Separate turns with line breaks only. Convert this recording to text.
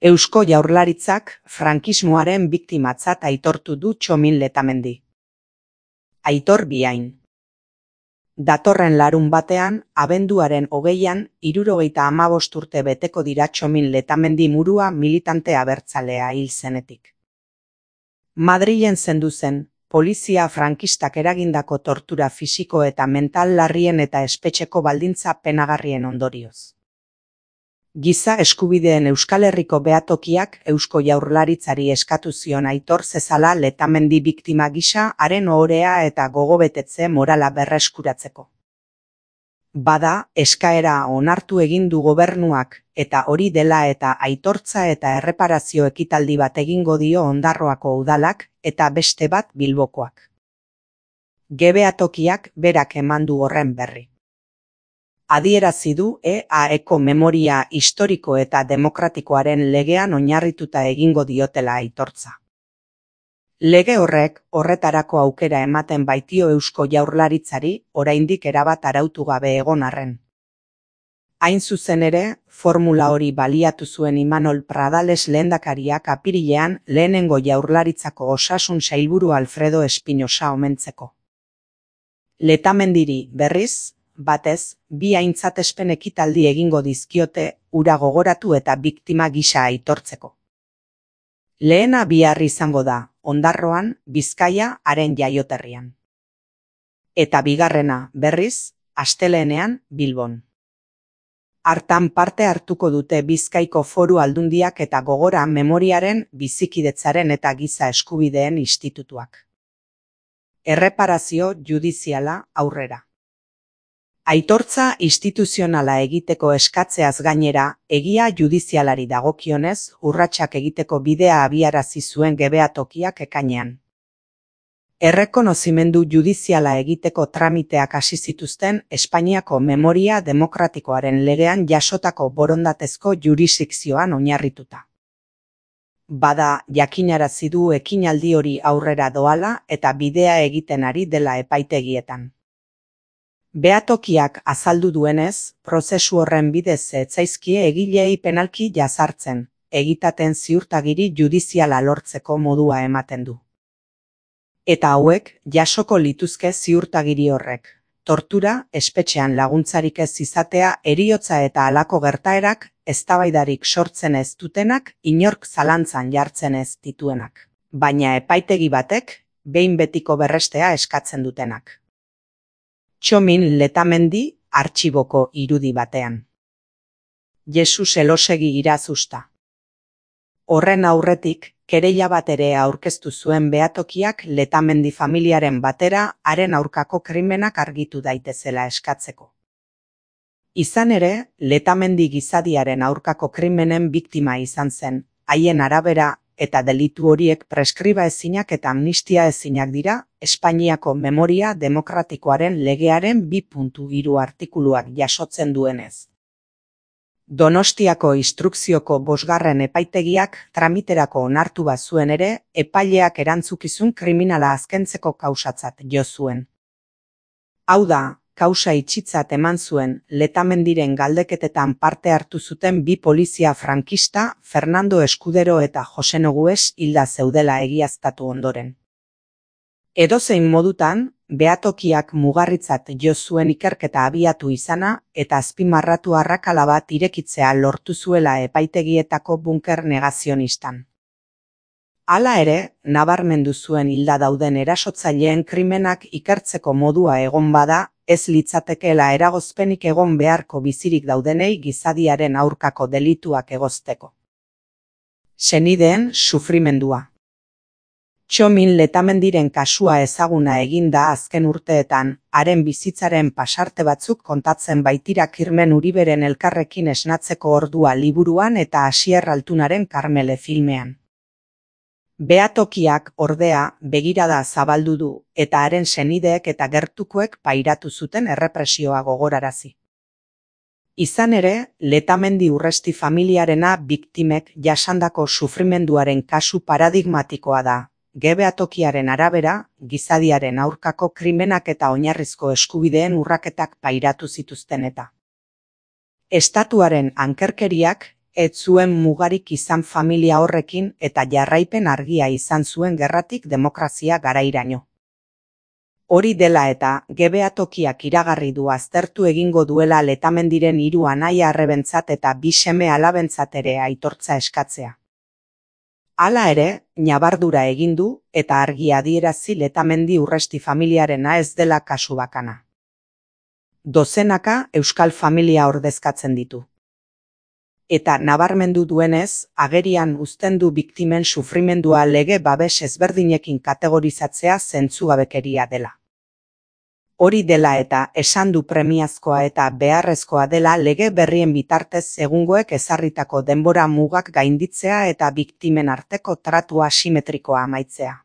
Eusko Jaurlaritzak frankismoaren biktimatzat aitortu du Txomin Letamendi. Aitor Biain. Datorren larunbatean, abenduaren 20an, 75 urte beteko dira Txomin Letamendi Murua militante abertzalea hil zenetik. Madrilen zendu zen, polizia frankistak eragindako tortura fisiko eta mental larrien eta espetxeko baldintza penagarrien ondorioz. Giza eskubideen Euskal Herriko behatokiak Eusko Jaurlaritzari eskatu zion aitor zezala Letamendi biktima gisa haren ohorea eta gogobetetze morala berreskuratzeko. Bada, eskaera onartu egin du gobernuak, eta hori dela eta aitortza eta erreparazio ekitaldi bat egingo dio Ondarroako udalak eta beste bat Bilbokoak. Behatokiak berak eman du horren berri. Adierazi du EAEko memoria historiko eta demokratikoaren legean oinarrituta egingo diotela aitortza. Lege horrek horretarako aukera ematen baitio Eusko Jaurlaritzari oraindik erabat arautu gabe egon arren. Hain zuzen ere, formula hori baliatu zuen Imanol Pradales lehendakariak apirilean lehenengo Jaurlaritzako osasun sailburu Alfredo Espinosa omentzeko. Letamendiri berriz, batez, bi aintzatespen ekitaldi egingo dizkiote hura gogoratu eta biktima gisa aitortzeko. Lehena bihar izango da, Ondarroan, Bizkaia haren jaioterrian. Eta bigarrena, berriz, astelehenean, Bilbon. Hartan parte hartuko dute Bizkaiko Foru Aldundiak eta Gogora Memoriaren, Bizikidetzaren eta Giza Eskubideen Institutuak. Erreparazio judiziala aurrera. Aitortza instituzionala egiteko eskatzeaz gainera, egia judizialari dagokionez, urratsak egiteko bidea abiarazi zuen behatokiak ekainean. Errekonozimendu judiziala egiteko tramiteak hasi zituzten Espainiako memoria demokratikoaren legean jasotako borondatezko jurisdikzioan oinarrituta. Bada, jakinarazi du ekinaldi hori aurrera doala eta bidea egiten ari dela epaitegietan. Behatokiak azaldu duenez, prozesu horren bidez ez zaizkie egileei penalki jazartzen, egitaten ziurtagiri judiziala lortzeko modua ematen du. Eta hauek, jasoko lituzke ziurtagiri horrek. Tortura, espetxean laguntzarik ez izatea, heriotza eta halako gertaerak, eztabaidarik sortzen ez dutenak, inork zalantzan jartzen ez dituenak. Baina epaitegi batek, behin betiko berrestea eskatzen dutenak. Txomin Letamendi artxiboko irudi batean. Jesus Elosegi irazusta. Horren aurretik, kereila bat ere aurkeztu zuen behatokiak Letamendi familiaren batera haren aurkako krimenak argitu daitezela eskatzeko. Izan ere, Letamendi gizadiaren aurkako krimenen biktima izan zen, haien arabera eta delitu horiek preskriba ezinak eta amnistia ezinak dira, Espainiako memoria demokratikoaren legearen 2.3 artikuluak jasotzen duenez. Donostiako instrukzioko 5. epaitegiak tramiterako onartu bazuen ere, epaileak erantzukizun kriminala azkentzeko kausatzat jo zuen. Hau da, kausa itxitzat eman zuen Letamendiren galdeketetan parte hartu zuten bi polizia frankista, Fernando Escudero eta Jose Nogues hilda zeudela egiaztatu ondoren. Edozein modutan, behatokiak mugarritzat jo zuen ikerketa abiatu izana eta azpimarratu arrakala bat irekitzea lortu zuela epaitegietako bunker negazionistan. Hala ere, nabarmendu zuen hilda dauden erasotzaileen krimenak ikertzeko modua egon bada, ez litzatekeela eragozpenik egon beharko bizirik daudenei gizadiaren aurkako delituak egozteko. Senideen sufrimendua. Txomin Letamendiren kasua ezaguna eginda azken urteetan, haren bizitzaren pasarte batzuk kontatzen baitira Kirmen Uriberen Elkarrekin esnatzeko ordua liburuan eta Asier Altunaren Karmele filmean. Behatokiak ordea begirada zabaldu du eta haren senideek eta gertukoek pairatu zuten errepresioa gogorarazi. Izan ere, Letamendi Urresti familiarena biktimek jasandako sufrimenduaren kasu paradigmatikoa da. Behatokiaren arabera, gizadiaren aurkako krimenak eta oinarrizko eskubideen urraketak pairatu zituzten eta. Estatuaren ankerkeriak Ez zuen mugarik izan familia horrekin eta jarraipen argia izan zuen gerratik demokrazia garairaino. Hori dela eta, gebeatokiak iragarri du aztertu egingo duela Letamendiren 3 anaia-arrebentzat eta 2 seme-alabentzat ere aitortza eskatzea. Hala ere, ñabardura egin du eta argi adierazi Letamendi Urresti familiarena ez dela kasu bakana. Dozenaka euskal familia ordezkatzen ditu. Eta nabarmendu duenez, agerian uzten du biktimen sufrimendua lege babes ezberdinekin kategorizatzea zentzugabekeria dela. Hori dela eta esan du premiazkoa eta beharrezkoa dela lege berrien bitartez egungoek ezarritako denbora mugak gainditzea eta biktimen arteko tratu asimetrikoa amaitzea.